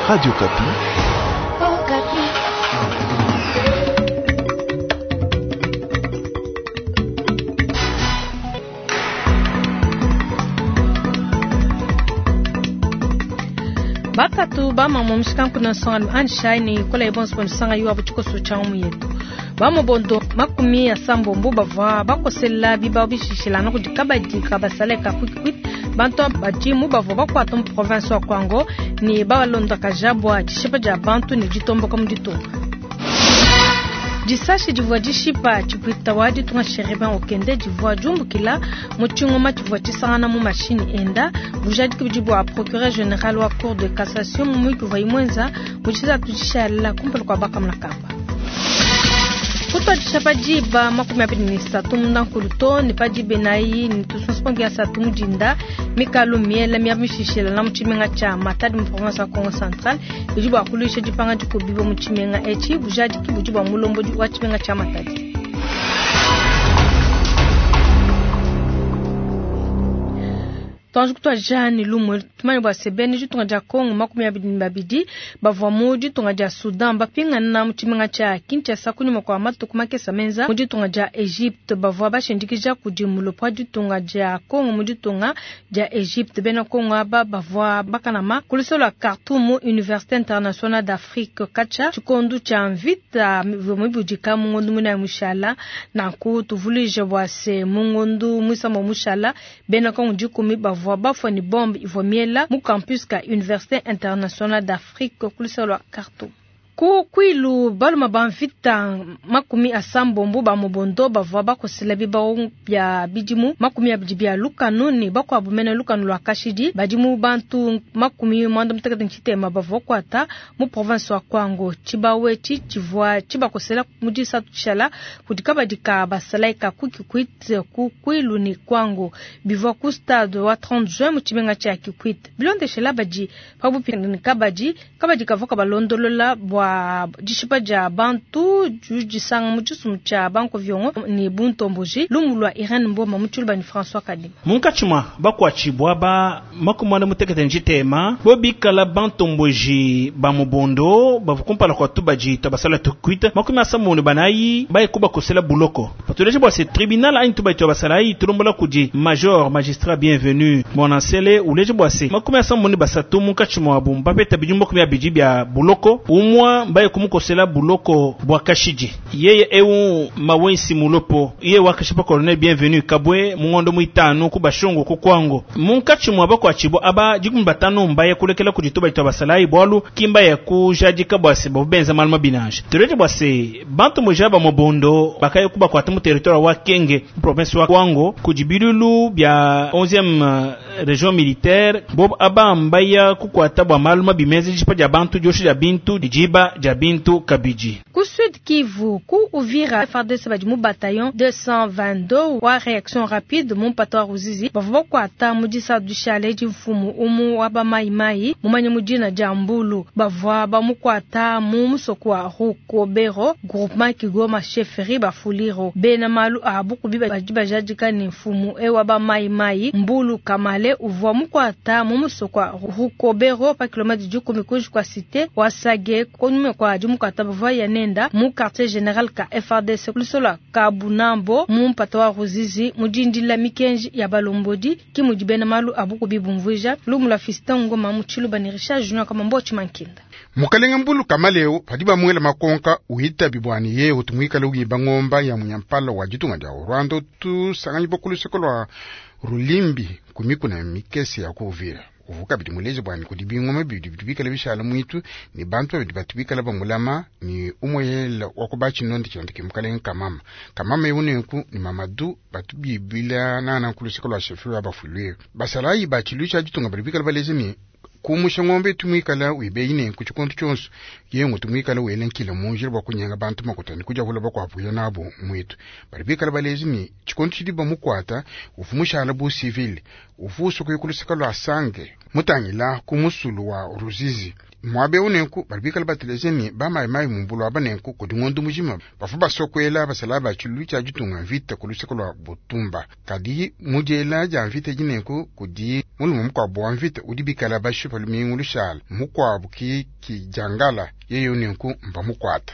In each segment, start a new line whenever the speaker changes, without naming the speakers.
Radio Okapi.
Batatu bamama mushikanku nsonga anshai ne kola ebonso bonisanga yo abu tshikoso tshia mu yetu bamobondo 80 bavua bakosela bibao bishishilana kudi kabadi kabasale ka Kikwit. Bantu badimu bavua bakuata mu province wa Kwango ne balondakaja bua dishipa dia bantu ne ditomboka mu ditunga. Disashi divua dishipa tshipwita wa ditunga Chérubin Okende divua diumbukila mu tshingoma tshivua tshisangana mu mashini enda. Bujadiki budi bua procureur général wa cour de cassation mu muyuki uvua imwenza mu tshisatu tshishala kumpala kua bakamuna kamba. Kutuadisha pa diba 23 mundankulu to ne pa diba enayi ne tusunsupangi ya satu mudinda mikalu miela mia mishishila na mu tshimenga tshia Matadi mu province ya Kongo Central bidi bua kuluisha dipanga dikubiwa mu tshimenga etshi. Bujadiki budi bua mulombodi wa tshimenga tshia Matadi. Twanji kutwaja ni lumwe tumanye bua sebene ditunga dia Kongo 22 bavua mu ditunga dia Sudan bapingana mu tshimenga tshia Kinshasa kunyuma kwa matuku makesa menza mu ditunga dia Egypte. Bavua bashindikija kudi mulopo wa ditunga dia Kongo mu ditunga dia Egypte. Bena Kongo aba bavua bakanama ku lusolo lua Khartoum Université Internationale d'Afrique kacha tshikondu tshia mvita mibudika mu ngondu muinayi mushala. Nanku tuvuluije bua se mu ngondu muisamba mushala bena Kongo 10 bavua bafua ni bombe ivua miela mu campus ka Université Internationale d'Afrique ku lusolo lua Khartoum. Ku kwilu baluma ba mvita 80 ba mobondo bavua bakosela bibao bya bidimu 20 bya lukanu ne bakuabu mene lukanu lua kashidi. Badimu bantu 86 bavua kuata mu province wa Kwango. Tshibawu etshi tshivua tshibakosela mu disatu tshishala kudi kabadi ka basalayi ka ku Kikwit ku kwilu ne Kwango. Bivua ku stade wa 30 juin mu tshimenga tshia Kikwit. Bilondeshela badi pabupi ne kabadi, kabadi kavua kabalondolola bua dishipa dia bantu disanga mu tshisumbu tshia banko viongo ne buntomboji. Lumu lua Irene Mboma mu tshiluba ni François Kadima.
Munkatshi mua bakuatshibua ba 46 bo bikala bantomboji ba mubondo bavua kumpala kua tubadi tua basala Kikwit 74 baye kubakosela buloko. Patuleje bua se tribunal anyi tubadi tua basalayi tulombola kudi major magistrat bienvenu Bonansele uleje bua se 73 munkatshi muabu bapeta bidimu 20 bia buloko umwa mbaye kumukosela buloko bwa kashidi. Yeye eu mawensi mulopo iye wakashipa colonel bienvenu kabwe mungondo muitanu ku bashungu ku Kwango. Munkatshi mua bakuatshibua aba 15 mbaye kulekela kudi tubadi tua basalayi bwalu kimba ya kujadika bua se bavu benza malu mabinanje. Tuleje bua se bantu moja ba mobondo bakaye kubakuata mu territoire wa Kenge province wa Kwango kudi bilulu bia 11e région militaire bob aba mbaya kukuata bua malu mabimeze dishipa dia bantu diosha dia bintu dijiba dia bintu kabidi.
Ku Sud Kivu ku Uvira FARDC badi mu bataillon 222 wa réaction rapide mu mpata wa Ruzizi bavua bakuata mu disatu dishale di mfumu umu wa ba mai mai mumanye mu dina dia Mbulu. Bavua bamukuata mu musoko wa Rukobero groupement Kigoma chefferie Bafuliro. Bena malu a bukubi badi bajadika ne mfumu e wa ba mai mai Mbulu Kamale uvua mukuata mu musoko wa Rukobero pa kilomètre 10 kuji kwa cité wa Sage kunyuma kwa dimukata bavua yanenda mu quartier général ka FARDC lusolo Kabunambo mu mpata wa Ruzizi mu dindila mikenji ya balombodi ki mudi bena malu abukubi bumvuija lumu lua Fiston Ngoma mu tshiluba ne Richard Junior kama mbochi mankinda.
Mukalenga Mbulu Kamaleo padi bamwela makonka uhita bibwani ye utumwikala uyiba ngomba ya munyampala wa ditunga dia Rwanda tusanganyi bokuluseko lwa Rulimbi kumikuna mikese ya kuuvira. Uvuka bidi muleje bwani kudi bingoma bidi bikala bishala mwitu ni bantu babidi batubikala bamulama ni umwela wakuba chinonde chonde ke mukalenga kamama. Kamama yunenku ni Mamadu batubibila nana kuluseko lwa shefu ya bafulwe. Basalayi bachilusha ditunga bidi bikala baleze ni kumusha ngombe tumwikala wibeine ku chikonto chonso yengo tumwikala welenkile munjira bwa kunyenga bantu makutani kuja hula bakwapuya nabo mwitu. Bali bikala balezi ni chikonto chidi bamukwata ufumushala bu civil ufuso kuyikuluseka lwa sange. Mutangila ku musulu wa Ruzizi. Muabe unenku bali bikala bateleje ni bamayimayi mumbulu aba nenku kudi ngondo mujima bafu basokwela basala ba tshilu tshia ditunga mvita ku luseke lwa Butumba. Kadi mujela dia mvita jinenku kudi mulume mukuabu wa mvita udi bikala bashipa lumingu lushala mukuabu ki kijangala yeye unenku mba mukwata.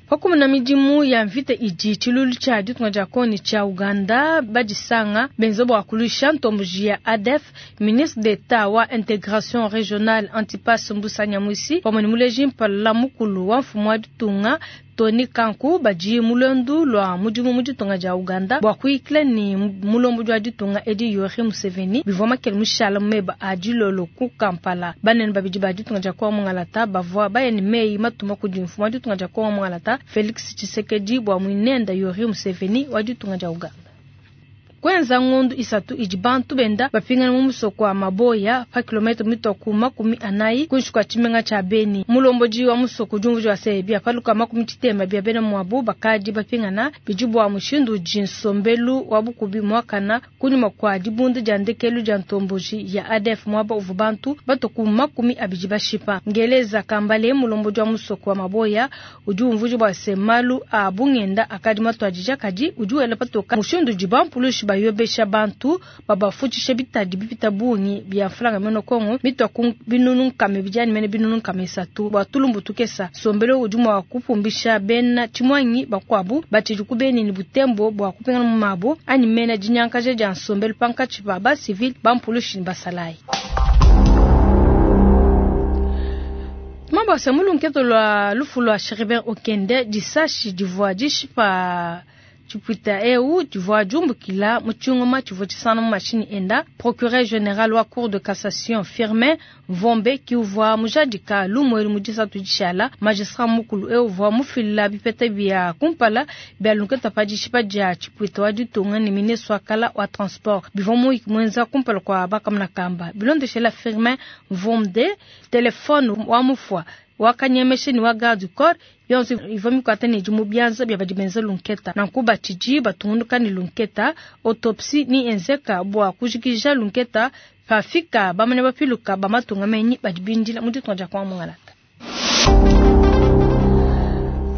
Pakumuna midimu ya mvita idi tshilulu tshia ditunga dia Kongo tshia Uganda badisanga benza bua kulusha ntomboji ya ADF. Ministre d'État wa intégration régionale Antipas Mbusa Nyamwisi pamwe ne muleji mpala mukulu wa mfumu wa ditunga Tony Kanku badi mulondu lwa mudimu mu ditunga dia Uganda bua kuyikila ni mulombo wa ditunga edi Yoweri Museveni bivua makele mushala meba a dilolo ku Kampala. Banene babidi ba ditunga dia Kongo Mungalata bavua baya ne meyi matuma kudi mfumu wa ditunga dia Kongo Mungalata Felix Tshisekedi bua mwinenda Yoweri Museveni wa ditunga dia Uganda. Kwenza ngondu isatu idi bantu benda bapingana mu musoko wa Maboya pa kilometre mitoku 40 kunshi kwa tshimenga tshia Beni. Mulomboji wa musoko jumvu wa sebia paluka 60 bia bena mwabu bakadi bapingana bidi bua mushindu udi nsombelu wa bukubi mwakana kunyuma kwa dibunda dia ndekelu dia ntomboji ya ADF mwaba uvu bantu batoku 20 bashipa. Ngeleza Kambale mulomboji wa musoko wa Maboya udi umvuji bua se malu a bungenda akadi matwadija kadi udi wela patoka mushindu udi bampulushi bayobesha bantu babafutshisha bitadi bipita bungi bia mfulanga meno Kongo mitwa ku binunu nkame bijani mene binunu nkame isatu bua tulumbu tukesa sombelo udi mua kupumbisha bena tshimwangi bakwabu batshidi ku Beni ni Butembo bua kupingana mu mabo anyi mena dinyankaja dia nsombelo pankatshi pa ba civil bampulushi ni basalayi. Mabasa mulunketo lwa lufu lwa Chérubin Okende disashi divua dishipa Chipuita eu divua jumbukila mu tshingoma tshivua tshisana mu mashini enda. Procureur général wa cour de cassation Firmin Mvombe ki uvua mujadika lumwelu mu disatu dishala. Magistrat mukulu eu uvua mufila bipeta bia kumpala bia lunketa pa dishipa dia Chipuita wa ditunga ne ministre wa kala wa transport bivua muyiki mwenza kumpala kwa bakamuna kamba. Bilondeshela Firmin Mvombe telefone wa mufwa wakanyemeshe ni wa garde du corps yonso ivua mikwata ne dimu bianza bia badi benza lunketa nanku batshidi batungunuka ne lunketa. Autopsie ni enzeka bua kujikija lunketa pafika bamane bapiluka bamatunga menyi badi bindila mu ditunga dia kwa Mungalata.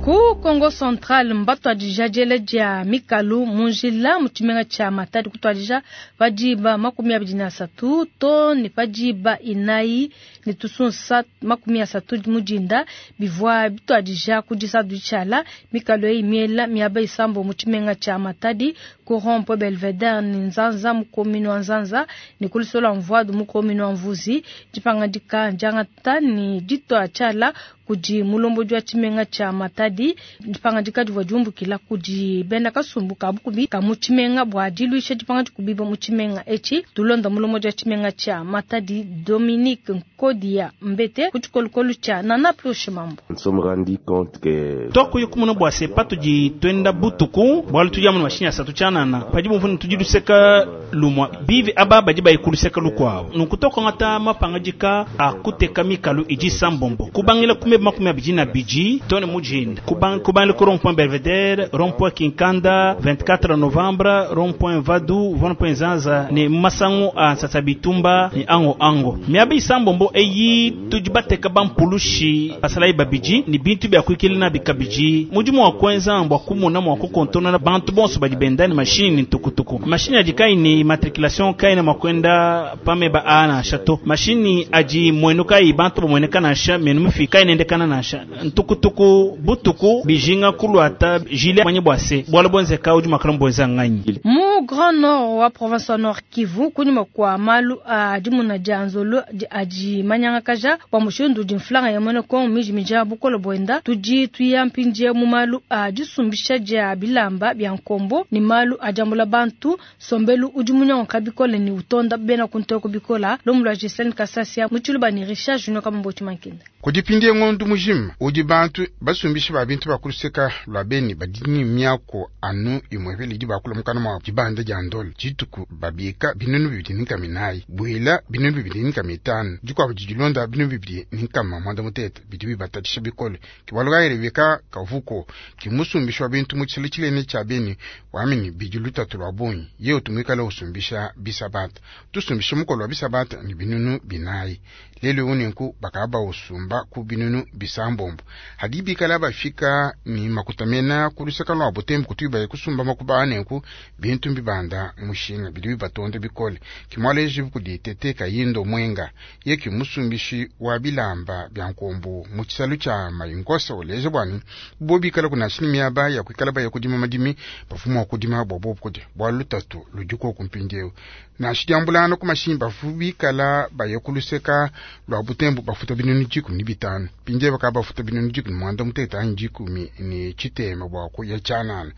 Ku Kongo Central mbatwadija diela dia mikalu mu njila mu tshimenga tshia Matadi kutwadija padiba 23 to ne padiba 4 ne tusunsa 30 mudinda bivua bitwadija ku disadu tshiala mikalu eyi miela miaba isambo mu tshimenga tshia Matadi ku rond-point Belvedere ne Nzanza mu commune wa Nzanza ne ku lusola Mvuadu mu commune wa Mvuzi. Dipangadika diangata ne ditwa tshiala kudi mulomboji wa tshimenga tshia Matadi. Dipangadika divua diumbukila kudi bena kasumbu ka bukubi ka mu tshimenga bua diluisha dipangadika kubiba mu tshimenga etshi. Tulonda mulomboji wa tshimenga tshia Matadi Dominique Nkodia Mbete ku tshikolokolo tshia Nana Plushe Mambo.
Twakuye kumuna bua se patudi twenda butuku bualu tudi amu mashinyi asatu tshianana padi bumvuni tudi luseka lumwa bivi aba badi bayikuluseka lukuabu nunku tokongata mapangadika akuteka mikalu idi sambombo kubangila kumeba 22 tone mujinda kubangila ku rond-point Belvedere, rond-point Kinkanda 24 novembre, rond-point Vadu, rond-point Zanza ne masangu a nsasa bitumba ne ango ango miaba isambombo eyi tudi bateka bampulushi basalayi babidi ni bintu bya kuikila na bikabidi mudimu wa kwenza mbwa kumona mwa kukontona na bantu bonso badi benda ni mashini ni tukutuku mashini adi kai ni matriculation kai na makwenda pameba a na chateau mashini adi mwenu kai bantu bomweneka na sha menu mufi kai nendekana na sha ntukutuku butuku bijinga kulwata jile manye bwase bwalo bonzeka udi makala mbonza nganyi
mu Grand Nord wa province wa Nord Kivu kunyuma kwa malu a dimuna dia nzolo adi manyanga kaja wa mushindu di mflanga ya mwene kongo miji mija bukolo bwenda tudi tuya mpindie mu malu a disumbisha dia bilamba bya nkombo ni malu a diambula bantu sombelu udi munyango kabikola ni utonda bena kuntoko bikola lomu lwa Gislaine Kasasia mutshiluba ni Richard Junior Kamamboti Mankenda.
Kudipindie ngondu mujima udi bantu basumbisha ba bintu bakuluseka lwa beni badini miako anu imwevele idi bakula mukana mwa dibanda dia ndolo dituku babika binunu bibidi ni nkama inayi bwila binunu bibidi ni nkama itanu dikuabu didi dilonda 2160 bidi bibatatshisha bikole. Ke bualu kayi Rebeka Kavuko ke musumbishi wa bintu mu tshisalu tshinene tshia Beni wambi ne bidi lutatu lua bungi yeye utu muikale usumbisha bisabata. Tusumbishe mukolo wa bisabata ne 4000 lelu eu nenku bakaba bausumba ku 600. Hadi bikala bafika ne makuta mena ku luseka lua Butembo kutu baye kusumba makuba a nenku bintu mbibanda mushinga bidi bibatonda bikole. Ke mualeji kudi Tete Kayindo Mwenga ye ke musumbishi wa bilamba bia nkombo mu tshisalu tshia Mayingosa uleja bua ne bo bikala kunanshi ne miaba ya kuikala baya kudima madimi bavua mua kudima bua bobu kudia bualu lutatu ludi koku mpindieu. Nansha diambulana ku mashinyi bavua bikala baya ku luseka lua Butembo bafuta 15,000 mpindieu bakaba bafuta 16,000 anyi 17 bua kuya tshianana.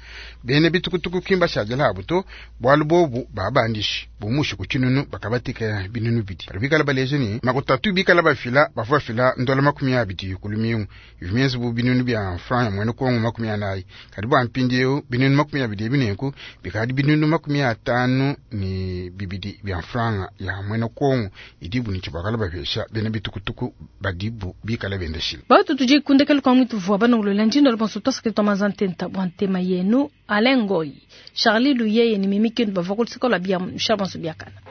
Bena bitukutuku kimba shadila abu to bualu bobu babandishi bumushi ku tshinunu bakabatika 2000. Badi bikala baleja ne makutatu bikala bafila bavua bafila ndola 20 ku lumingu ivi mienze bu binunu bia franc ya mwene Kongo 40. Kadi bua mpindieu 20 ebi nenku bikadi 52 bia franc ya mwene Kongo idibu ne tshibakala bapesha bena bitukutuku badibu bikala bendeshile.
Batu tudi kundekela kwa mwitu vua banongolola njindo bonso tosakile twa mazantenta bua ntema yenu Alain Ngoyi, Charlie Luyeye ni Mimi Kindu bavua ku luseke lua bia Michel Bonso Biakana.